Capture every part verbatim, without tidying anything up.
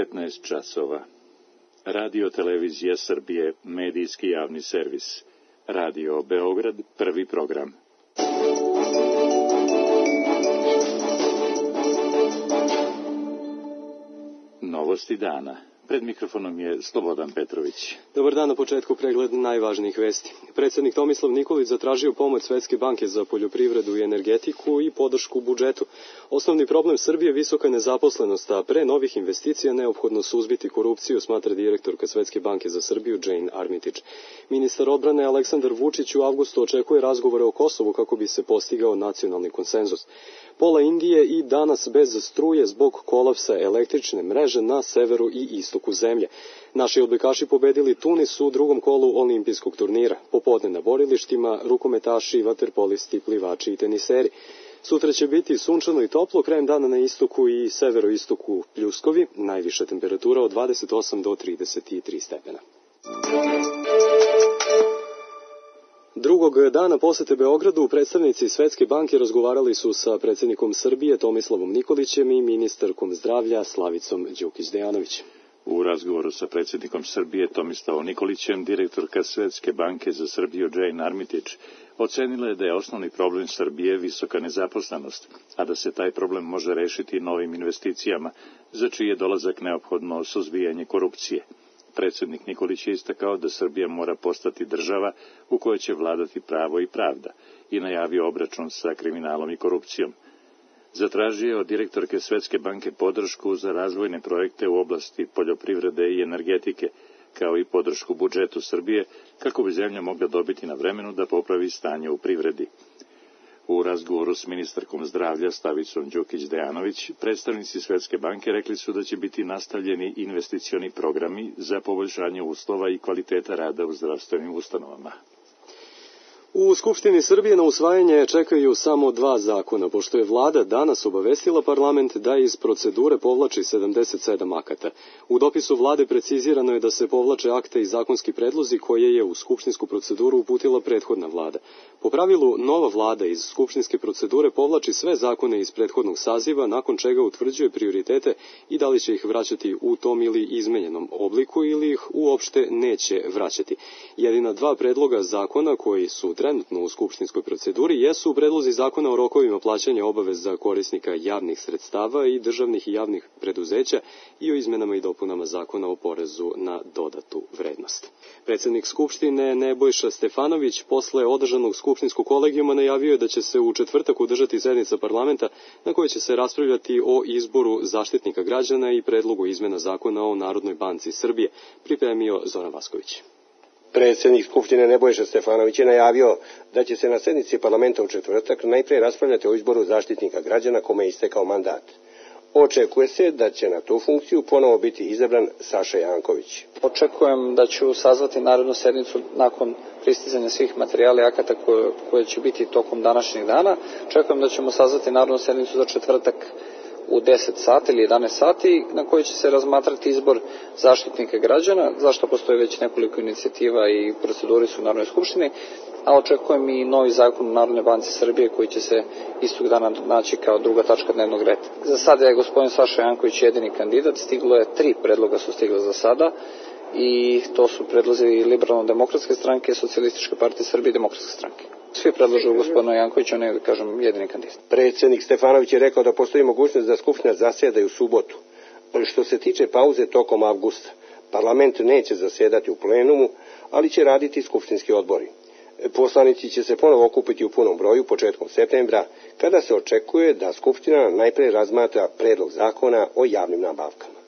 devetnaest časova. Radio Televizija Srbije, medijski javni servis. Radio Beograd, prvi program. Novosti dana. Pred mikrofonom je Slobodan Petrović. Dobar dan, na početku pregled najvažnijih vesti. Predsjednik Tomislav Nikolić zatražio pomoć Svetske banke za poljoprivredu i energetiku i podršku budžetu. Osnovni problem Srbije je visoka nezaposlenost, a pre novih investicija neophodno suzbiti korupciju, smatra direktorka Svetske banke za Srbiju Jane Armitage. Ministar odbrane Aleksandar Vučić u avgustu očekuje razgovore o Kosovu kako bi se postigao nacionalni konsenzus. Pola Indije i danas bez struje zbog kolapsa električne mreže na severu i istoku zemlje. Naši odbojkaši pobedili Tunis u drugom kolu olimpijskog turnira. Popodne na borilištima rukometaši, vaterpolisti, plivači i teniseri. Sutra će biti sunčano i toplo, krajem dana na istoku i severoistoku pljuskovi, najviša temperatura od dvadeset osam do trideset tri stepena. Drugog dana posete Beogradu predstavnici Svetske banke razgovarali su sa predsjednikom Srbije Tomislavom Nikolićem i ministarkom zdravlja Slavicom Đukić-Dejanović. U razgovoru sa predsjednikom Srbije Tomislavom Nikolićem, direktorka Svetske banke za Srbiju Jane Armitage ocenila je da je osnovni problem Srbije visoka nezaposlenost, a da se taj problem može rešiti novim investicijama, za čiji je dolazak neophodno suzbijanje korupcije. Predsjednik Nikolić je istakao da Srbija mora postati država u kojoj će vladati pravo i pravda i najavio obračun sa kriminalom i korupcijom. Zatražio je od direktorke Svetske banke podršku za razvojne projekte u oblasti poljoprivrede i energetike, kao i podršku budžetu Srbije, kako bi zemlja mogla dobiti na vremenu da popravi stanje u privredi. U razgovoru s ministarkom zdravlja Slavicom Đukić-Dejanović, predstavnici Svetske banke rekli su da će biti nastavljeni investicioni programi za poboljšanje uslova i kvaliteta rada u zdravstvenim ustanovama. U Skupštini Srbije na usvajanje čekaju samo dva zakona, pošto je vlada danas obavestila parlament da iz procedure povlači sedamdeset sedam akata. U dopisu vlade precizirano je da se povlače akte i zakonski predlozi koje je u skupštinsku proceduru uputila prethodna vlada. Po pravilu, nova vlada iz skupštinske procedure povlači sve zakone iz prethodnog saziva, nakon čega utvrđuje prioritete i da li će ih vraćati u tom ili izmenjenom obliku ili ih uopšte neće vraćati. Jedina dva predloga zakona koji su trenutno u skupštinskoj proceduri jesu predlozi zakona o rokovima plaćanja obaveza korisnika javnih sredstava i državnih i javnih preduzeća i o izmenama i dopunama zakona o porezu na dodatu vrednost. Predsjednik Skupštine Nebojša Stefanović posle održanog skupštinskog kolegijuma najavio je da će se u četvrtak održati sednica parlamenta na kojoj će se raspravljati o izboru zaštitnika građana i predlogu izmena zakona o Narodnoj banci Srbije, pripremio Zoran Vasković. Predsjednik Skupštine Nebojša Stefanović je najavio da će se na sednici parlamenta u četvrtak najprije raspravljati o izboru zaštitnika građana kome je istekao mandat. Očekuje se da će na tu funkciju ponovo biti izabran Saša Janković. Očekujem da ću sazvati narednu sednicu nakon pristizanja svih materijala i akata koje, koje će biti tokom današnjeg dana. Očekujem da ćemo sazvati narednu sednicu za četvrtak u deset sati ili jedanaest sati, na kojoj će se razmatrati izbor zaštitnika građana, zašto postoji već nekoliko inicijativa i proceduri su u Narodnoj skupštini, a očekujem i novi zakon u Narodnoj banci Srbije koji će se istog dana naći kao druga tačka dnevnog reda. Za sada je gospodin Saša Janković jedini kandidat, stiglo je tri predloga su stigla za sada i to su predlozi Liberalno-demokratske stranke, Socijalističke partije Srbije i Demokratske stranke. Svi predlažu gospodina Jankovića, on je, da kažem, jedini kandidat. Predsjednik Stefanović je rekao da postoji mogućnost da Skupština zasjeda i u subotu. Što se tiče pauze tokom avgusta, parlament neće zasjedati u plenumu, ali će raditi skupštinski odbori. Poslanici će se ponovo okupiti u punom broju početkom septembra, kada se očekuje da Skupština najprije razmatra predlog zakona o javnim nabavkama.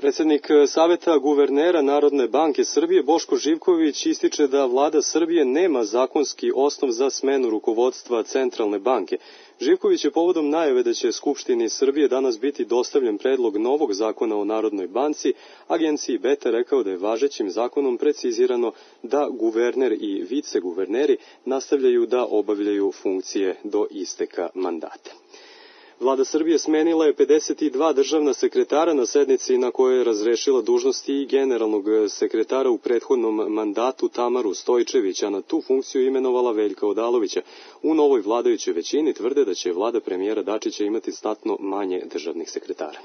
Predsjednik Saveta guvernera Narodne banke Srbije Boško Živković ističe da vlada Srbije nema zakonski osnov za smenu rukovodstva Centralne banke. Živković je povodom najave da će Skupštini Srbije danas biti dostavljen predlog novog zakona o Narodnoj banci, agenciji Beta rekao da je važećim zakonom precizirano da guverner i viceguverneri nastavljaju da obavljaju funkcije do isteka mandata. Vlada Srbije smenila je pedeset dva državna sekretara na sednici na kojoj je razrešila dužnosti i generalnog sekretara u prethodnom mandatu Tamaru Stojčević, a na tu funkciju imenovala Veljka Odalovića. U novoj vladajućoj većini tvrde da će vlada premijera Dačića imati znatno manje državnih sekretara.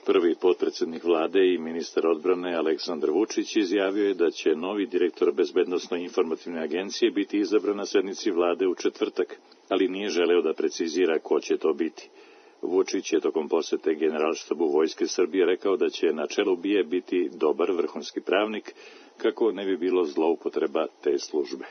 Prvi potpredsjednik vlade i ministar odbrane Aleksandar Vučić izjavio je da će novi direktor Bezbednosno-informativne agencije biti izabran na sednici vlade u četvrtak, ali nije želeo da precizira ko će to biti. Vučić je tokom posete Generalštabu Vojske Srbije rekao da će na čelu B I A biti dobar vrhunski pravnik, kako ne bi bilo zloupotreba te službe.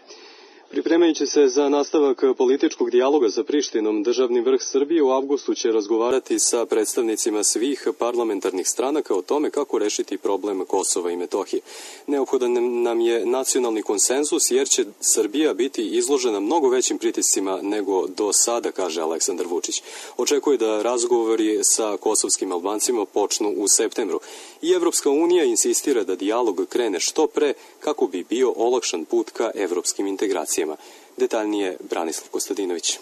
Pripremajući se za nastavak političkog dijaloga sa Prištinom, državni vrh Srbije u avgustu će razgovarati sa predstavnicima svih parlamentarnih stranaka o tome kako rešiti problem Kosova i Metohije. Neophodan nam je nacionalni konsenzus jer će Srbija biti izložena mnogo većim pritiscima nego do sada, kaže Aleksandar Vučić. Očekuje da razgovori sa kosovskim Albancima počnu u septembru. I Evropska unija insistira da dijalog krene što pre kako bi bio olakšan put ka evropskim integracijama. Detaljnije Branislav Kostadinović.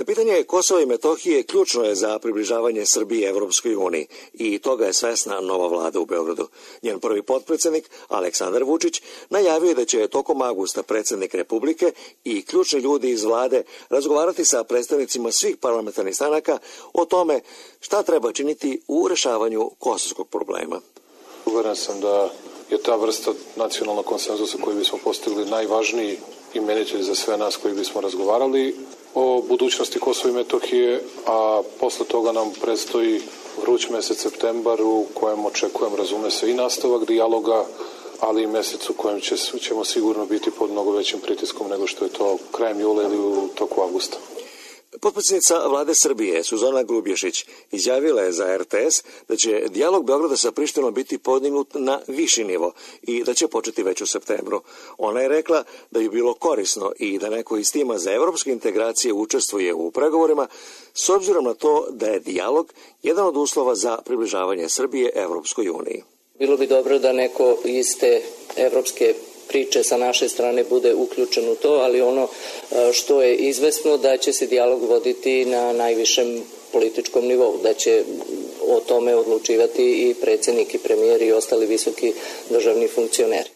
Pitanje Kosova i Metohije ključno je za približavanje Srbije Evropskoj uniji i toga je svesna nova vlada u Beogradu. Njen prvi potpredsjednik, Aleksandar Vučić, najavio je da će tokom avgusta predsjednik Republike i ključni ljudi iz vlade razgovarati sa predstavnicima svih parlamentarnih stranaka o tome šta treba činiti u rešavanju kosovskog problema. Uveren sam da je ta vrsta nacionalnog konsenzusa koji bismo postigli najvažniji imenitelj za sve nas koji bismo razgovarali o budućnosti Kosova i Metohije, a posle toga nam predstoji vruć mesec septembar u kojem očekujem, razume se, i nastavak dijaloga, ali i mesec u kojem će, ćemo sigurno biti pod mnogo većim pritiskom nego što je to krajem jula ili u toku avgusta. Potpredsjednica vlade Srbije, Suzana Grubješić, izjavila je za R T S da će dijalog Beograda sa Prištinom biti podignut na viši nivo i da će početi već u septembru. Ona je rekla da bi bilo korisno i da neko iz tima za evropske integracije učestvuje u pregovorima, s obzirom na to da je dijalog jedan od uslova za približavanje Srbije Evropskoj uniji. Bilo bi dobro da neko iz te evropske priče sa naše strane bude uključen u to, ali ono što je izvesno da će se dijalog voditi na najvišem političkom nivou, da će o tome odlučivati i predsjednik i premijer i ostali visoki državni funkcioneri.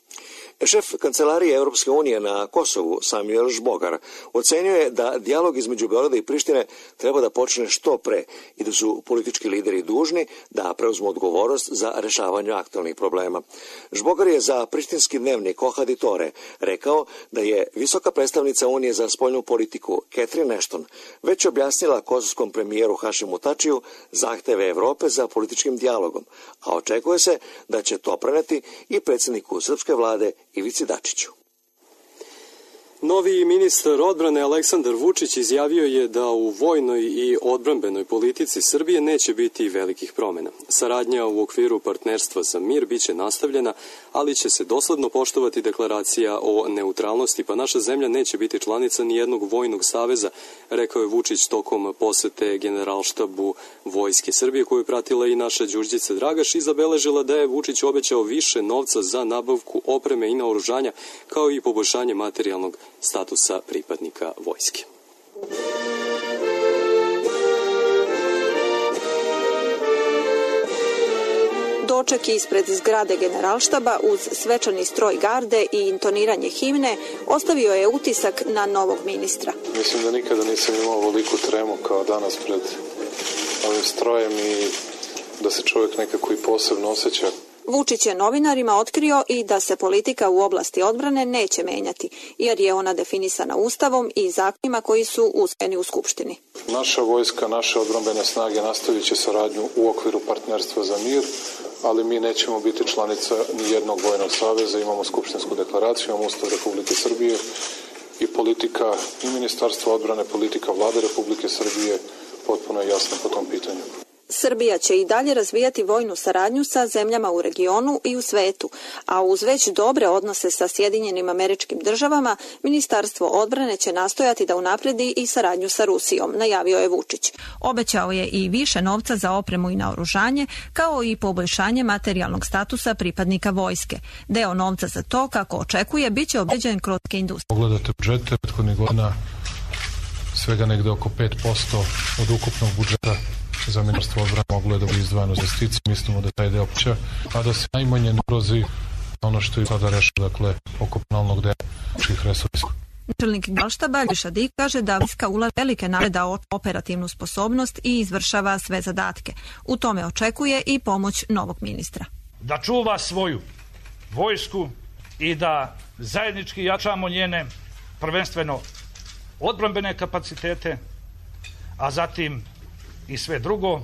Šef Kancelarije Europske unije na Kosovu, Samuel Žbogar, ocenio je da dijalog između Beograda i Prištine treba da počne što pre i da su politički lideri dužni da preuzmu odgovornost za rešavanje aktualnih problema. Žbogar je za prištinski dnevnik Ohaditore rekao da je visoka predstavnica Unije za spoljnu politiku Catherine Ashton već objasnila kosovskom premijeru Hašimu Tačiju zahteve Evrope za političkim dijalogom, a očekuje se da će to preneti i predsjedniku srpske vlade Ivici Dačiću. Novi ministar odbrane Aleksandar Vučić izjavio je da u vojnoj i odbrambenoj politici Srbije neće biti velikih promjena. Saradnja u okviru partnerstva za mir biće nastavljena, ali će se dosledno poštovati deklaracija o neutralnosti, pa naša zemlja neće biti članica nijednog vojnog saveza, rekao je Vučić tokom posete Generalštabu Vojske Srbije, koju je pratila i naša Đurđica Dragaš i zabeležila da je Vučić obećao više novca za nabavku opreme i naoružanja, kao i poboljšanje materijalnog statusa pripadnika vojske. Doček ispred zgrade Generalštaba uz svečani stroj garde i intoniranje himne ostavio je utisak na novog ministra. Mislim da nikada nisam imao ovoliku tremu kao danas pred ovim strojem i da se čovjek nekako i posebno osjeća. Vučić je novinarima otkrio i da se politika u oblasti odbrane neće menjati, jer je ona definisana Ustavom i zakonima koji su usvojeni u Skupštini. Naša vojska, naše odbrambene snage nastavit će saradnju u okviru partnerstva za mir, ali mi nećemo biti članica nijednog vojnog saveza, imamo skupštinsku deklaraciju, imamo Ustav Republike Srbije i politika i Ministarstva odbrane, politika Vlade Republike Srbije potpuno je jasna po tom pitanju. Srbija će i dalje razvijati vojnu saradnju sa zemljama u regionu i u svetu, a uz već dobre odnose sa Sjedinjenim Američkim Državama, Ministarstvo odbrane će nastojati da unapredi i saradnju sa Rusijom, najavio je Vučić. Obećao je i više novca za opremu i naoružanje, kao i poboljšanje materijalnog statusa pripadnika vojske. Deo novca za to, kako očekuje, bit će obezbeđen kroz industriju. Pogledate budžete prethodnih godina, svega negde oko pet posto od ukupnog budžeta za Ministarstvo odbrane moglo je da bi izdvajano za investicije, mislimo da taj deo će, a da se najmanje ne ugrozi ono što je sada rešeno, dakle, oko penalnog dela naših resursa. Načelnik Generalštaba Šadik kaže da vojska ulaže velike napore da operativnu sposobnost i izvršava sve zadatke. U tome očekuje i pomoć novog ministra. Da čuva svoju vojsku i da zajednički jačamo njene prvenstveno odbrambene kapacitete, a zatim i sve drugo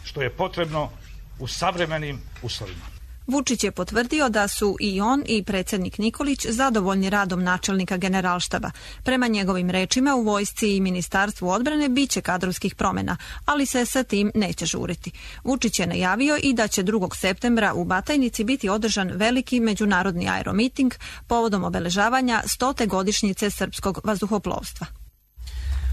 što je potrebno u savremenim uslovima. Vučić je potvrdio da su i on i predsjednik Nikolić zadovoljni radom načelnika Generalštaba. Prema njegovim rečima u vojsci i Ministarstvu odbrane biće kadrovskih promjena, ali se sa tim neće žuriti. Vučić je najavio i da će drugog septembra u Batajnici biti održan veliki međunarodni aeromiting povodom obeležavanja stote godišnjice srpskog vazduhoplovstva.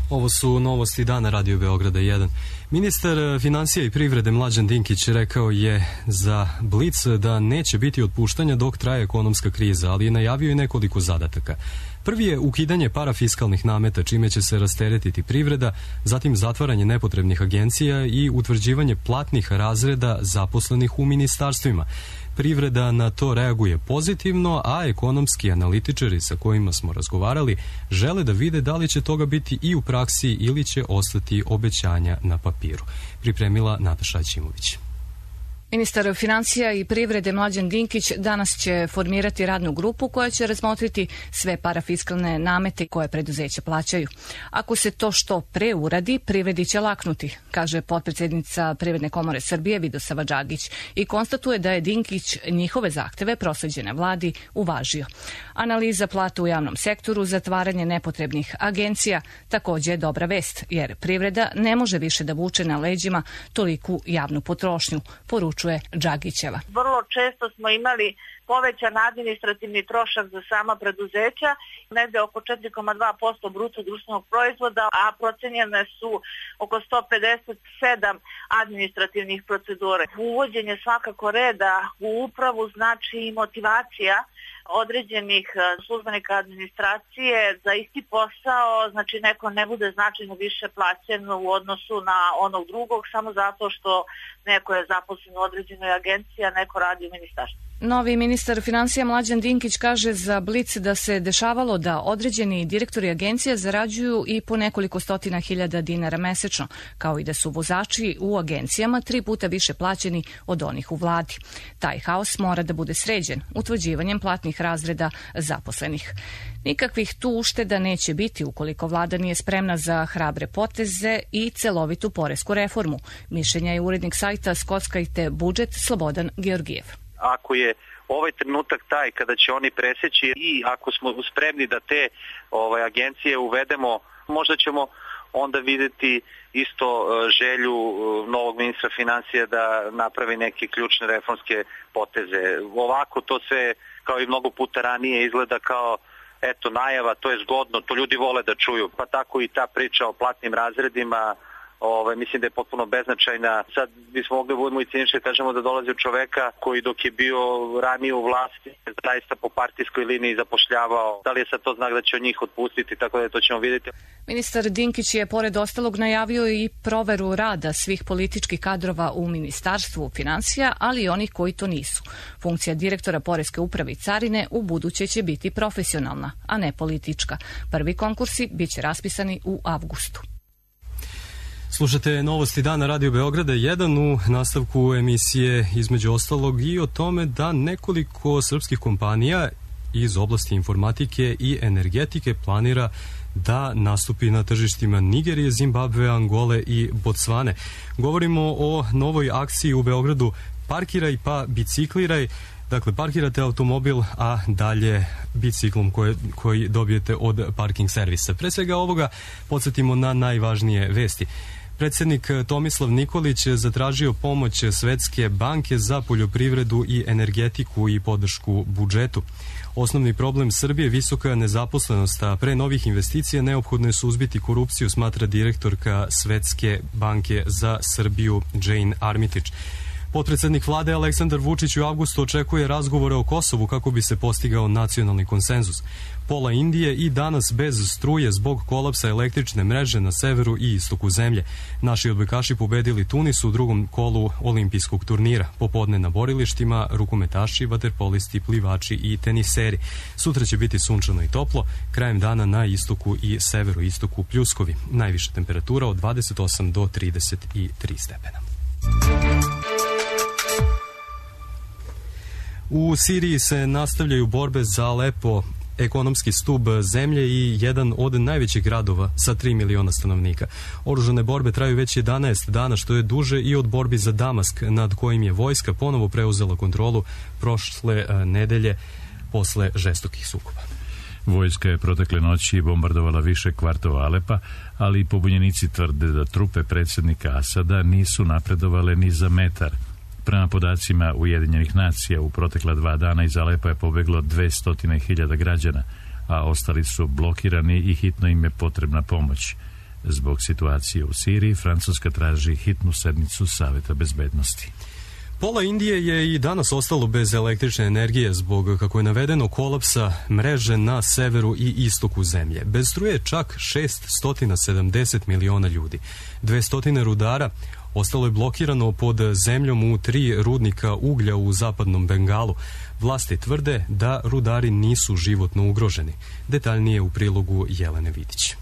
Ovo su novosti dana Radio Beograda jedan. Ministar financija i privrede Mlađan Dinkić rekao je za Blic da neće biti otpuštanja dok traje ekonomska kriza, ali je najavio i nekoliko zadataka. Prvi je ukidanje parafiskalnih nameta, čime će se rasteretiti privreda, zatim zatvaranje nepotrebnih agencija i utvrđivanje platnih razreda zaposlenih u ministarstvima. Privreda na to reaguje pozitivno, a ekonomski analitičari sa kojima smo razgovarali žele da vide da li će toga biti i u praksi ili će ostati obećanja na papiru. Pripremila Nataša Ćimović. Ministar financija i privrede Mlađan Dinkić danas će formirati radnu grupu koja će razmotriti sve parafiskalne namete koje preduzeća plaćaju. Ako se to što pre uradi, privredi će laknuti, kaže potpredsjednica Privredne komore Srbije Vidosava Đagić i konstatuje da je Dinkić njihove zahteve prosleđene vladi uvažio. Analiza plata u javnom sektoru, zatvaranje nepotrebnih agencija također je dobra vest, jer privreda ne može više da vuče na leđima toliku javnu potrošnju, poručuje Đagićeva. Vrlo često smo imali povećan administrativni trošak za sama preduzeća, negde oko četiri zarez dva posto bruto društvenog proizvoda, a procenjene su oko sto pedeset sedam administrativnih procedura. Uvođenje svakako reda u upravu znači i motivacija određenih službenika administracije za isti posao, znači neko ne bude značajno više plaćen u odnosu na onog drugog samo zato što neko je zaposlen u određenoj agenciji, a neko radi u ministarstvu. Novi ministar financija Mlađan Dinkić kaže za Blic da se dešavalo da određeni direktori agencija zarađuju i po nekoliko stotina hiljada dinara mesečno, kao i da su vozači u agencijama tri puta više plaćeni od onih u vladi. Taj haos mora da bude sređen utvrđivanjem platnih razreda zaposlenih. Nikakvih tu ušteda neće biti ukoliko vlada nije spremna za hrabre poteze i celovitu poresku reformu. Mišljenja je urednik sajta Skockajte budžet Slobodan Georgijev. Ako je ovaj trenutak taj kada će oni preseći i ako smo spremni da te ovaj, agencije uvedemo, možda ćemo onda videti isto želju novog ministra financija da napravi neke ključne reformske poteze. Ovako to sve, kao i mnogo puta ranije, izgleda kao eto najava, to je zgodno, to ljudi vole da čuju. Pa tako i ta priča o platnim razredima, Ove, mislim da je potpuno beznačajna. Sad bismo mogli da budemo i cinični, kažemo da dolazi od čoveka koji dok je bio ranije u vlasti zaista po partijskoj liniji zapošljavao. Da li je sad to znak da će od njih otpustiti, tako da to ćemo vidjeti. Ministar Dinkić je pored ostalog najavio i proveru rada svih političkih kadrova u Ministarstvu financija, ali i onih koji to nisu. Funkcija direktora Poreske uprave i carine u buduće će biti profesionalna, a ne politička. Prvi konkursi bit će raspisani u avgustu. Slušate novosti dana Radio Beograda jedan, u nastavku emisije između ostalog i o tome da nekoliko srpskih kompanija iz oblasti informatike i energetike planira da nastupi na tržištima Nigerije, Zimbabve, Angole i Bocvane. Govorimo o novoj akciji u Beogradu Parkiraj pa bicikliraj. Dakle, parkirate automobil, a dalje biciklom koje, koji dobijete od parking servisa. Pre svega ovoga podsjetimo na najvažnije vesti. Predsjednik Tomislav Nikolić zatražio pomoć Svetske banke za poljoprivredu i energetiku i podršku budžetu. Osnovni problem Srbije je visoka nezaposlenost, a pre novih investicija neophodno je suzbiti korupciju, smatra direktorka Svetske banke za Srbiju Jane Armitage. Potpredsednik vlade Aleksandar Vučić u avgustu očekuje razgovore o Kosovu kako bi se postigao nacionalni konsenzus. Pola Indije i danas bez struje zbog kolapsa električne mreže na severu i istoku zemlje. Naši odbojkaši pobedili Tunis u drugom kolu olimpijskog turnira. Popodne na borilištima rukometaši, vaterpolisti, plivači i teniseri. Sutra će biti sunčano i toplo, krajem dana na istoku i severoistoku pljuskovi. Najviša temperatura od dvadeset osam do trideset tri stepena. U Siriji se nastavljaju borbe za Alepo, ekonomski stub zemlje i jedan od najvećih gradova sa tri miliona stanovnika. Oružane borbe traju već jedanaest dana, što je duže i od borbi za Damask, nad kojim je vojska ponovo preuzela kontrolu prošle nedelje posle žestokih sukoba. Vojska je protekle noći bombardovala više kvartova Alepa, ali pobunjenici tvrde da trupe predsjednika Asada nisu napredovale ni za metar. Prema podacima Ujedinjenih nacija, u protekla dva dana iz Alepa je pobeglo dvesta hiljada građana, a ostali su blokirani i hitno im je potrebna pomoć. Zbog situacije u Siriji, Francuska traži hitnu sednicu Saveta bezbednosti. Pola Indije je i danas ostalo bez električne energije zbog, kako je navedeno, kolapsa mreže na severu i istoku zemlje. Bez struje čak šeststo sedamdeset miliona ljudi. dvesta rudara ostalo je blokirano pod zemljom u tri rudnika uglja u zapadnom Bengalu. Vlasti tvrde da rudari nisu životno ugroženi. Detaljnije u prilogu Jelene Vidić.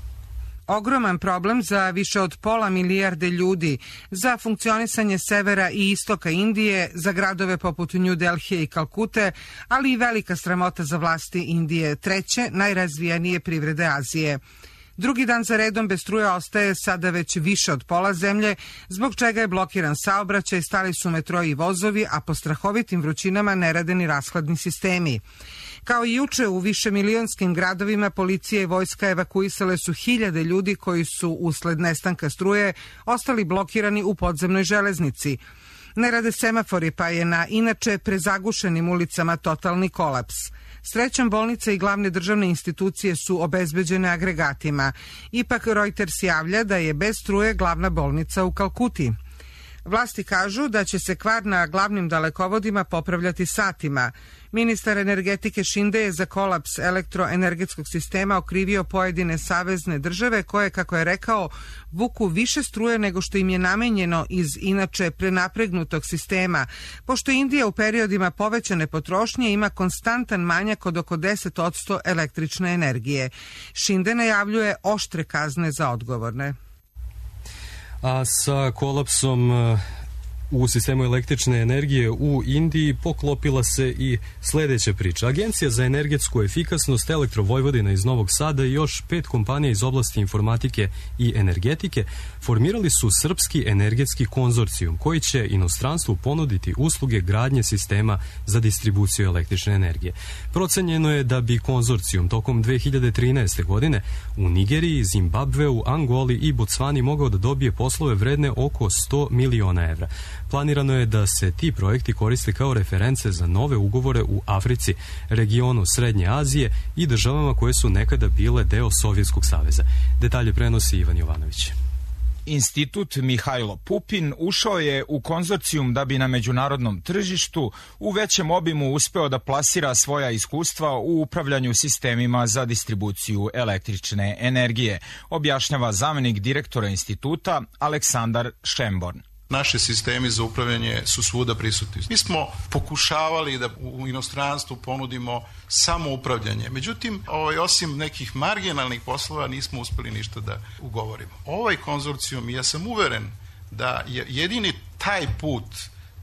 Ogroman problem za više od pola milijarde ljudi, za funkcionisanje severa i istoka Indije, za gradove poput New Delhije i Kalkute, ali i velika sramota za vlasti Indije, treće najrazvijenije privrede Azije. Drugi dan za redom bez struje ostaje sada već više od pola zemlje, zbog čega je blokiran saobraćaj, stali su metro i vozovi, a po strahovitim vrućinama ne rade ni rashladni sistemi. Kao i juče u višemilionskim gradovima, policija i vojska evakuisale su hiljade ljudi koji su usled nestanka struje ostali blokirani u podzemnoj železnici. Ne rade semafori, pa je na inače prezagušenim ulicama totalni kolaps. Srećom, bolnice i glavne državne institucije su obezbeđene agregatima. Ipak Reuters javlja da je bez struje glavna bolnica u Kalkuti. Vlasti kažu da će se kvar na glavnim dalekovodima popravljati satima. Ministar energetike Šinde je za kolaps elektroenergetskog sistema okrivio pojedine savezne države koje, kako je rekao, vuku više struje nego što im je namenjeno iz inače prenapregnutog sistema, pošto Indija u periodima povećane potrošnje ima konstantan manjak od oko deset posto električne energije. Šinde najavljuje oštre kazne za odgovorne. A sa kolapsom u sistemu električne energije u Indiji poklopila se i sledeća priča. Agencija za energetsku efikasnost, Elektrovojvodina iz Novog Sada i još pet kompanija iz oblasti informatike i energetike formirali su Srpski energetski konzorcijum koji će inostranstvu ponuditi usluge gradnje sistema za distribuciju električne energije. Procenjeno je da bi konzorcijum tokom dve hiljade trinaeste. godine u Nigeriji, Zimbabveu, Angoli i Bocvani mogao da dobije poslove vredne oko sto miliona evra. Planirano je da se ti projekti koriste kao reference za nove ugovore u Africi, regionu Srednje Azije i državama koje su nekada bile deo Sovjetskog saveza. Detalje prenosi Ivan Jovanović. Institut Mihajlo Pupin ušao je u konzorcijum da bi na međunarodnom tržištu u većem obimu uspeo da plasira svoja iskustva u upravljanju sistemima za distribuciju električne energije, objašnjava zamenik direktora instituta Aleksandar Šemborn. Naši sistemi za upravljanje su svuda prisutni. Mi smo pokušavali da u inostranstvu ponudimo samo upravljanje. Međutim, ovaj, osim nekih marginalnih poslova nismo uspeli ništa da ugovorimo. Ovaj konzorcijum, ja sam uveren da je jedini taj put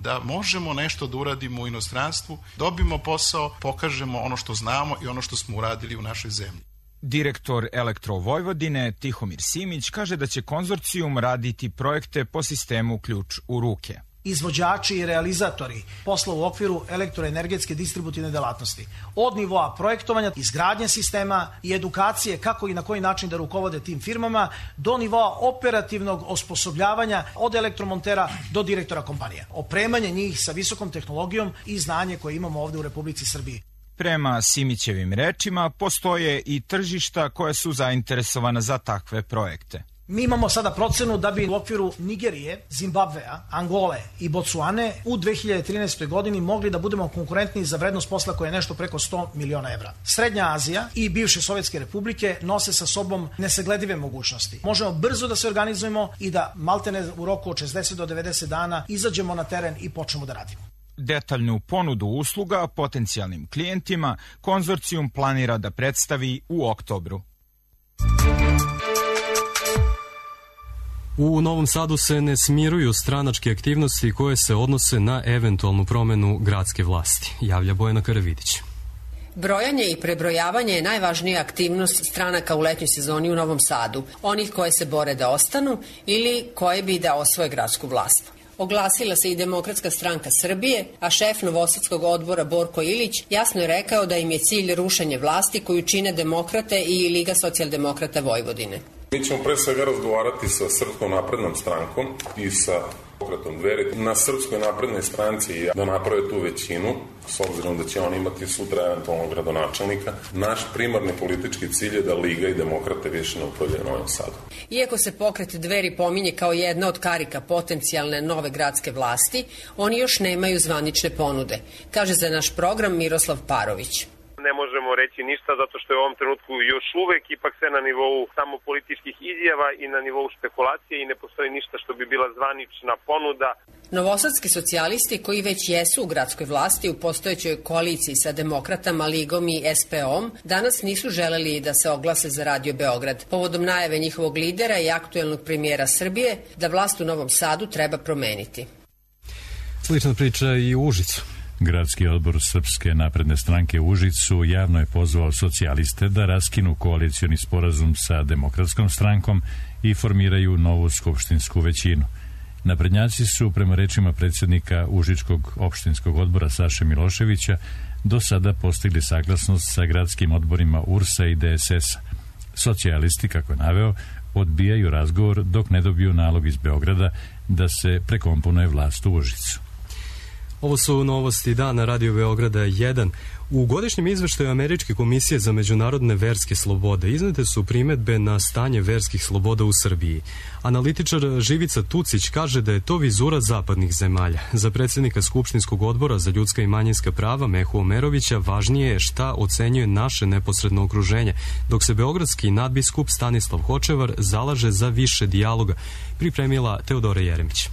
da možemo nešto da uradimo u inostranstvu, dobimo posao, pokažemo ono što znamo i ono što smo uradili u našoj zemlji. Direktor Elektrovojvodine Tihomir Simić kaže da će konzorcijum raditi projekte po sistemu ključ u ruke. Izvođači i realizatori posla u okviru elektroenergetske distributivne delatnosti. Od nivoa projektovanja, izgradnje sistema i edukacije kako i na koji način da rukovode tim firmama, do nivoa operativnog osposobljavanja od elektromontera do direktora kompanija. Opremanje njih sa visokom tehnologijom i znanje koje imamo ovde u Republici Srbiji. Prema Simićevim rečima, postoje i tržišta koja su zainteresovana za takve projekte. Mi imamo sada procenu da bi u okviru Nigerije, Zimbabvea, Angole i Botswane u dve hiljade trinaestoj godini mogli da budemo konkurentni za vrednost posla koja je nešto preko sto miliona evra. Srednja Azija i bivše Sovjetske republike nose sa sobom nesagledive mogućnosti. Možemo brzo da se organizujemo i da maltene u roku od šezdeset do devedeset dana izađemo na teren i počnemo da radimo. Detaljnu ponudu usluga potencijalnim klijentima konzorcijum planira da predstavi u oktobru. U Novom Sadu se ne smiruju stranačke aktivnosti koje se odnose na eventualnu promenu gradske vlasti, javlja Bojana Karavidić. Brojanje i prebrojavanje je najvažnija aktivnost stranaka u letnjoj sezoni u Novom Sadu, onih koje se bore da ostanu ili koje bi da osvoje gradsku vlast. Oglasila se i Demokratska stranka Srbije, a šef Novosadskog odbora Borko Ilić jasno je rekao da im je cilj rušenje vlasti koju čine Demokrate i Liga socijaldemokrata Vojvodine. Mi ćemo pre svega razgovarati sa Srpskom naprednom strankom i sa pokretom Dveri. Na Srpskoj naprednoj stranci da naprave tu većinu, s obzirom da će oni imati sutra eventualnog gradonačelnika. Naš primarni politički cilj je da Liga i Demokrate više ne upravljaju Novom Sadu. Iako se pokret Dveri pominje kao jedna od karika potencijalne nove gradske vlasti, oni još nemaju zvanične ponude, kaže za naš program Miroslav Parović. Ne možemo reći ništa zato što je u ovom trenutku još uvek ipak sve na nivou samo političkih izjava i na nivou špekulacije i ne postoji ništa što bi bila zvanična ponuda. Novosadski socijalisti koji već jesu u gradskoj vlasti u postojećoj koaliciji sa Demokratama, Ligom i S P O-om danas nisu želeli da se oglase za Radio Beograd povodom najave njihovog lidera i aktuelnog premijera Srbije da vlast u Novom Sadu treba promeniti. Slična priča i u Užicu. Gradski odbor Srpske napredne stranke u Užicu javno je pozvao socijaliste da raskinu koalicioni sporazum sa Demokratskom strankom i formiraju novu skupštinsku većinu. Naprednjaci su, prema rečima predsjednika Užičkog opštinskog odbora Saše Miloševića, do sada postigli saglasnost sa gradskim odborima U R S-a i D S S-a. Socijalisti, kako je naveo, odbijaju razgovor dok ne dobiju nalog iz Beograda da se prekomponuje vlast u Užicu. Ovo su novosti dana Radio Beograda jedan. U godišnjem izveštaju Američke komisije za međunarodne verske slobode iznete su primedbe na stanje verskih sloboda u Srbiji. Analitičar Živica Tucić kaže da je to vizura zapadnih zemalja. Za predsjednika Skupštinskog odbora za ljudska i manjinska prava Mehu Omerovića važnije je šta ocenjuje naše neposredno okruženje, dok se beogradski nadbiskup Stanislav Hočevar zalaže za više dijaloga, pripremila Teodora Jeremić.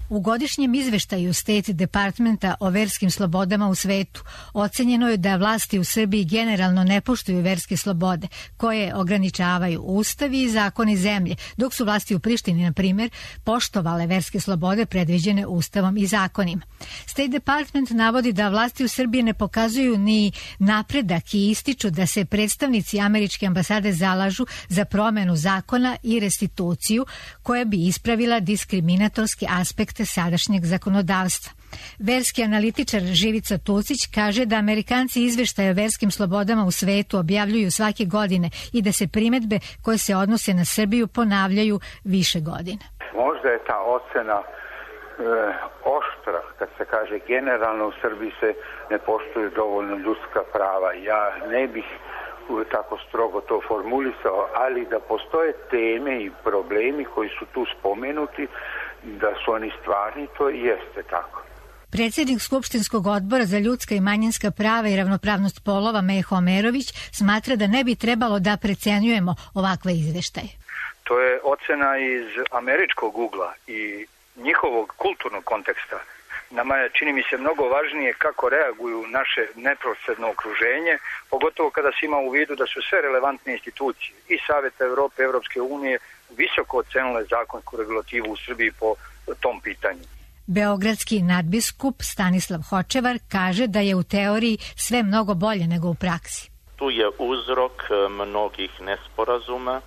U godišnjem izveštaju State Departmenta o verskim slobodama u svetu ocenjeno je da vlasti u Srbiji generalno ne poštuju verske slobode, koje ograničavaju ustavi i zakoni zemlje, dok su vlasti u Prištini, na primjer, poštovale verske slobode predviđene ustavom i zakonima. State Department navodi da vlasti u Srbiji ne pokazuju ni napredak i ističu da se predstavnici američke ambasade zalažu za promenu zakona i restituciju koja bi ispravila diskriminatorski aspekt sadašnjeg zakonodavstva. Verski analitičar Živica Tucić kaže da Amerikanci izveštaje o verskim slobodama u svetu objavljuju svake godine i da se primedbe koje se odnose na Srbiju ponavljaju više godina. Možda je ta ocena e, oštra kad se kaže generalno u Srbiji se ne poštuju dovoljno ljudska prava. Ja ne bih tako strogo to formulisao, ali da postoje teme i problemi koji su tu spomenuti, da su oni stvarni, to jeste tako. Predsjednik Skupštinskog odbora za ljudska i manjinska prava i ravnopravnost polova Meho Omerović smatra da ne bi trebalo da precenjujemo ovakve izveštaje. To je ocena iz američkog ugla i njihovog kulturnog konteksta. Nama je, čini mi se, mnogo važnije kako reaguju naše neposredno okruženje, pogotovo kada se ima u vidu da su sve relevantne institucije i Saveta Evrope, Evropske unije visoko ocenile zakonsku regulativu u Srbiji po tom pitanju. Beogradski nadbiskup Stanislav Hočevar kaže da je u teoriji sve mnogo bolje nego u praksi. Tu je uzrok mnogih nesporazuma,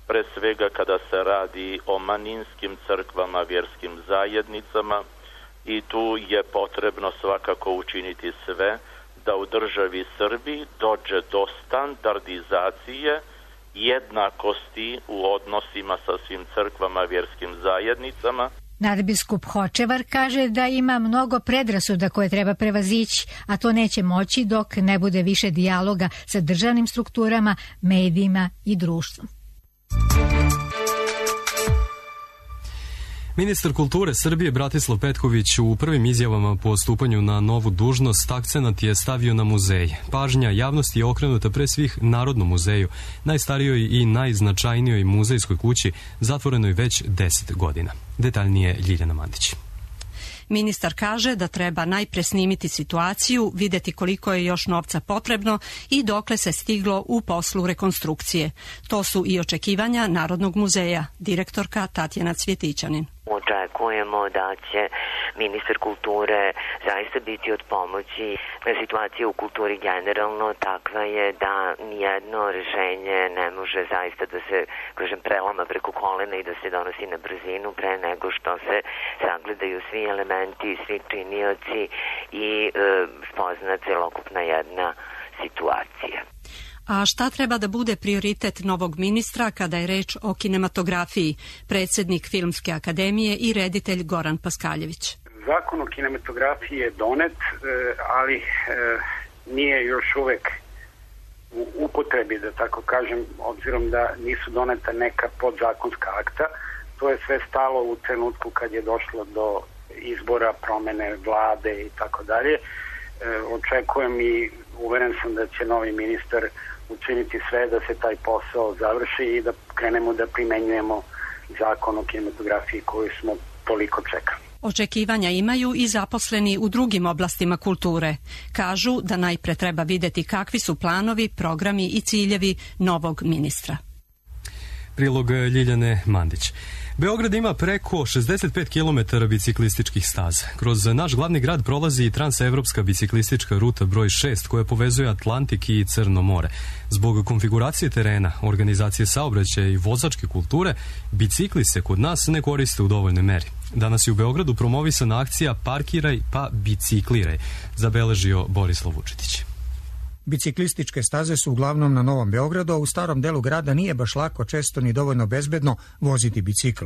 pre svega kada se radi o manjinskim crkvama, vjerskim zajednicama, i tu je potrebno svakako učiniti sve da u državi Srbiji dođe do standardizacije jednakosti u odnosima sa svim crkvama, vjerskim zajednicama. Nadbiskup Hočevar kaže da ima mnogo predrasuda koje treba prevazići, a to neće moći dok ne bude više dijaloga sa državnim strukturama, medijima i društvom. Ministar kulture Srbije Bratislav Petković u prvim izjavama po stupanju na novu dužnost akcenat je stavio na muzej. Pažnja javnosti je okrenuta pre svih Narodnom muzeju, najstarijoj i najznačajnijoj muzejskoj kući, zatvorenoj već deset godina. Detaljnije Ljiljana Mandić. Ministar kaže da treba najpre snimiti situaciju, videti koliko je još novca potrebno i dokle se stiglo u poslu rekonstrukcije. To su i očekivanja Narodnog muzeja, direktorka Tatjana Cvjetićanin. Očekujemo da će ministar kulture zaista biti od pomoći. Situacija u kulturi generalno takva je da nijedno rešenje ne može zaista da se, kažem, prelama preko kolena i da se donosi na brzinu pre nego što se sagledaju svi elementi, svi činioci i e, spozna celokupna jedna situacija. A šta treba da bude prioritet novog ministra kada je reč o kinematografiji? Predsjednik Filmske akademije i reditelj Goran Paskaljević. Zakon o kinematografiji je donet, ali nije još uvek u upotrebi, da tako kažem, obzirom da nisu doneta neka podzakonska akta. To je sve stalo u trenutku kad je došlo do izbora, promene vlade i tako dalje. Očekujem i uveren sam da će novi ministar učiniti sve da se taj posao završi i da krenemo da primenjujemo zakon o kinematografiji koju smo toliko čekali. Očekivanja imaju i zaposleni u drugim oblastima kulture. Kažu da najpre treba videti kakvi su planovi, programi i ciljevi novog ministra. Prilog Ljiljane Mandić. Beograd ima preko šezdeset pet kilometara biciklističkih staza. Kroz naš glavni grad prolazi i transevropska biciklistička ruta broj šest koja povezuje Atlantik i Crno more. Zbog konfiguracije terena, organizacije saobraćaja i vozačke kulture, bicikli se kod nas ne koriste u dovoljnoj meri. Danas je u Beogradu promovisana akcija Parkiraj pa bicikliraj, zabeležio Borislav Vučetić. Biciklističke staze su uglavnom na Novom Beogradu, a u starom delu grada nije baš lako, često ni dovoljno bezbedno voziti bicikl.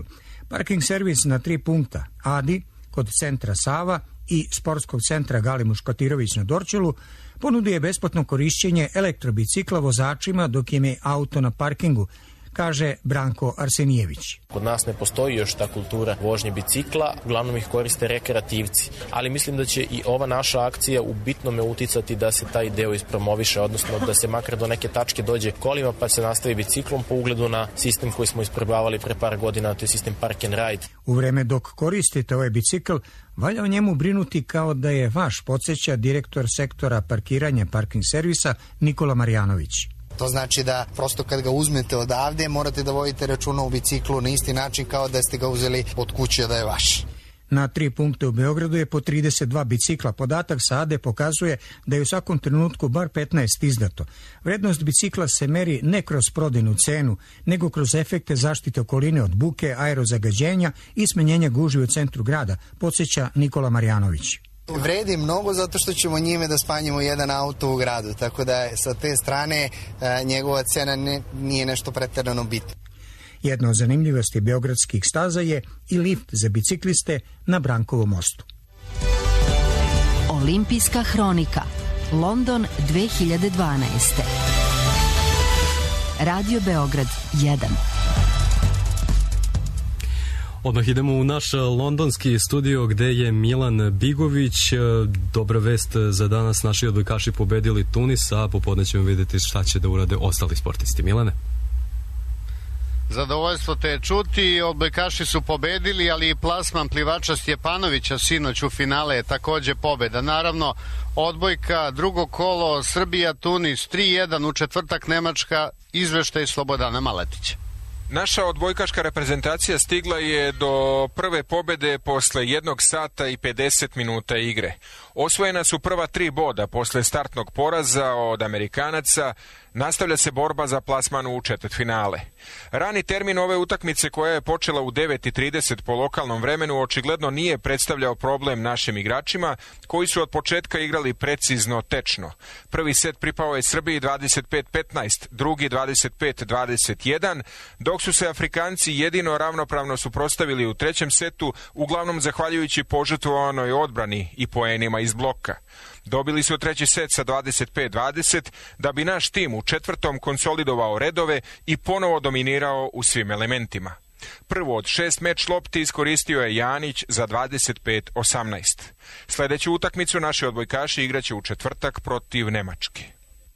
Parking servis na tri punkta, Adi, kod centra Sava i sportskog centra Galimuš Kotirović na Dorćolu, ponuduje besplatno korišćenje elektrobicikla vozačima dok im je auto na parkingu, kaže Branko Arsenijević. Kod nas ne postoji još ta kultura vožnje bicikla, uglavnom ih koriste rekreativci, ali mislim da će i ova naša akcija u bitnome uticati da se taj deo ispromoviše, odnosno da se makar do neke tačke dođe kolima pa se nastavi biciklom po ugledu na sistem koji smo isprobavali pre par godina, to je sistem Park and Ride. U vreme dok koristite ovaj bicikl, valja o njemu brinuti kao da je vaš, podsjeća direktor sektora parkiranja parking servisa Nikola Marjanović. To znači da prosto kad ga uzmete odavde morate da vodite računa u biciklu na isti način kao da ste ga uzeli od kuće da je vaš. Na tri punkte u Beogradu je po trideset dva bicikla. Podatak sa Ade pokazuje da je u svakom trenutku bar petnaest izdato. Vrednost bicikla se meri ne kroz prodajnu cenu, nego kroz efekte zaštite okoline od buke, aerozagađenja i smanjenja gužvi u centru grada, podsjeća Nikola Marjanović. Vredi mnogo zato što ćemo njime da spanjimo jedan auto u gradu, tako da sa te strane a, njegova cena ne, nije nešto preterano bitno. Jedna od zanimljivosti beogradskih staza je i lift za bicikliste na Brankovom mostu. Olimpijska hronika, London dve hiljade dvanaeste. Radio Beograd jedan. Odmah idemo u naš londonski studio gde je Milan Bigović. Dobra vest za danas, naši odbojkaši pobedili Tunis, a popodne ćemo vidjeti šta će da urade ostali sportisti. Milane? Zadovoljstvo te čuti, odbojkaši su pobedili, ali i plasman plivača Stjepanovića sinoć u finale je takođe pobeda. Naravno, odbojka, drugo kolo, Srbija, Tunis, tri jedan, u četvrtak Nemačka, izveštaj Slobodana Maletića. Naša odbojkaška reprezentacija stigla je do prve pobede posle jednog sata i pedeset minuta igre. Osvojena su prva tri boda posle startnog poraza od Amerikanaca. Nastavlja se borba za plasman u četvrtfinale. Rani termin ove utakmice koja je počela u devet i trideset po lokalnom vremenu očigledno nije predstavljao problem našim igračima koji su od početka igrali precizno, tečno. Prvi set pripao je Srbiji dvadeset pet petnaest, drugi dvadeset pet dvadeset jedan, dok su se Afrikanci jedino ravnopravno suprotstavili u trećem setu, uglavnom zahvaljujući požrtvovanoj odbrani i poenima iz bloka. Dobili su treći set sa dvadeset pet dvadeset, da bi naš tim u četvrtom konsolidovao redove i ponovo dominirao u svim elementima. Prvo od šest meč lopti iskoristio je Janić za dvadeset pet osamnaest. Sledeću utakmicu naši odbojkaši igraće u četvrtak protiv Nemačke.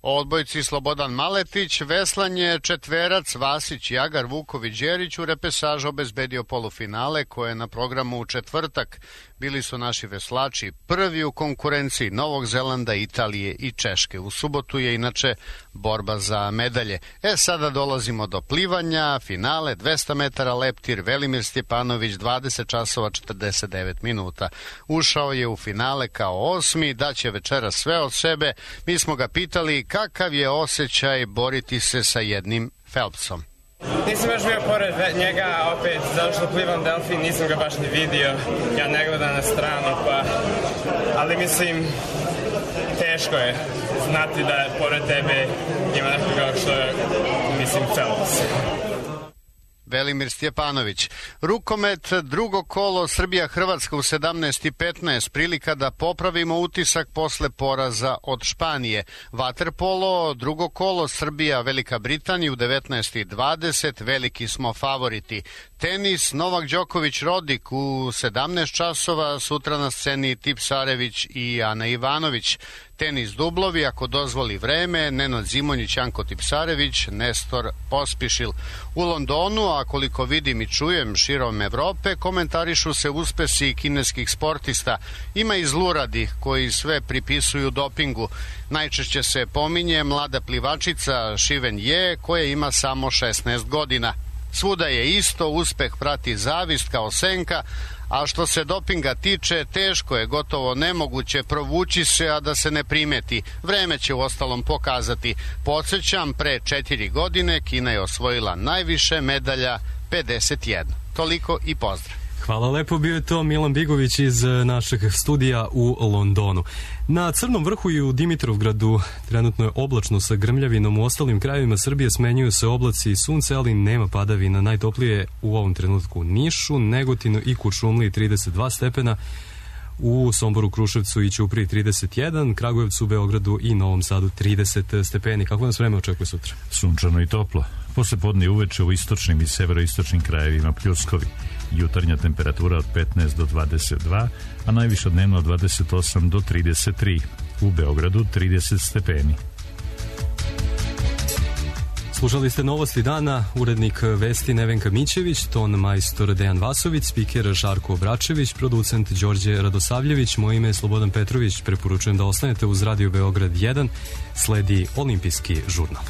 O odbojci Slobodan Maletić, veslanje četverac Vasić, Jagar, Vuković, Đerić u repesažu obezbedio polufinale koje je na programu u četvrtak. Bili su naši veslači prvi u konkurenciji Novog Zelanda, Italije i Češke. U subotu je inače borba za medalje. E, sada dolazimo do plivanja, finale dvesta metara leptir, Velimir Stjepanović dvadeset časova četrdeset devet minuta. Ušao je u finale kao osmi, daće večera sve od sebe. Mi smo ga pitali kakav je osjećaj boriti se sa jednim Phelpsom. Nisam još bio pored njega, opet, zato što plivam delfin, nisam ga baš ni vidio. Ja ne gledam na stranu, pa... Ali mislim, teško je znati da pored tebe ima nekoga što je, mislim, Phelps. Velimir Stjepanović. Rukomet, drugo kolo, Srbija-Hrvatska u sedamnaest i petnaest, prilika da popravimo utisak posle poraza od Španije. Vaterpolo, drugo kolo, Srbija-Velika Britanija u devetnaest i dvadeset, veliki smo favoriti. Tenis, Novak Đoković Rodik u sedamnaest časova, sutra na sceni Tipsarević i Ana Ivanović. Tenis dublovi, ako dozvoli vreme, Nenad Zimonjić, Janko Tipsarević, Nestor Pospišil. U Londonu, a koliko vidim i čujem širom Evrope, komentarišu se uspesi kineskih sportista. Ima i zluradi koji sve pripisuju dopingu. Najčešće se pominje mlada plivačica Šiven Je, koja ima samo šesnaest godina. Svuda je isto, uspeh prati zavist kao senka, a što se dopinga tiče, teško je, gotovo nemoguće provući se, a da se ne primeti. Vreme će uostalom pokazati. Podsjećam, pre četiri godine Kina je osvojila najviše medalja, pedeset jedna. Toliko i pozdrav. Hvala lepo, bio je to Milan Bigović iz našeg studija u Londonu. Na Crnom vrhu i u Dimitrovgradu trenutno je oblačno sa grmljavinom, u ostalim krajevima Srbije smenjuju se oblaci i sunce, ali nema padavina. Najtoplije u ovom trenutku u Nišu, Negotinu i Kuršumliji trideset dva stepena, u Somboru, Kruševcu i Ćupriji trideset jedan, Kragujevcu, Beogradu i Novom Sadu trideset stepeni. Kako nas vreme očekuje sutra? Sunčano i toplo. Posle podne uveče u istočnim i severoistočnim krajevima pljuskovi. Jutarnja temperatura od petnaest do dvadeset dva, a najviša dnevno od dvadeset osam do trideset tri. U Beogradu trideset stepeni. Slušali ste novosti dana, urednik vesti Nevenka Mićević, ton majstor Dejan Vasović, spiker Žarko Obračević, producent Đorđe Radosavljević, moje ime je Slobodan Petrović, preporučujem da ostanete uz Radio Beograd jedan, sledi Olimpijski žurnal.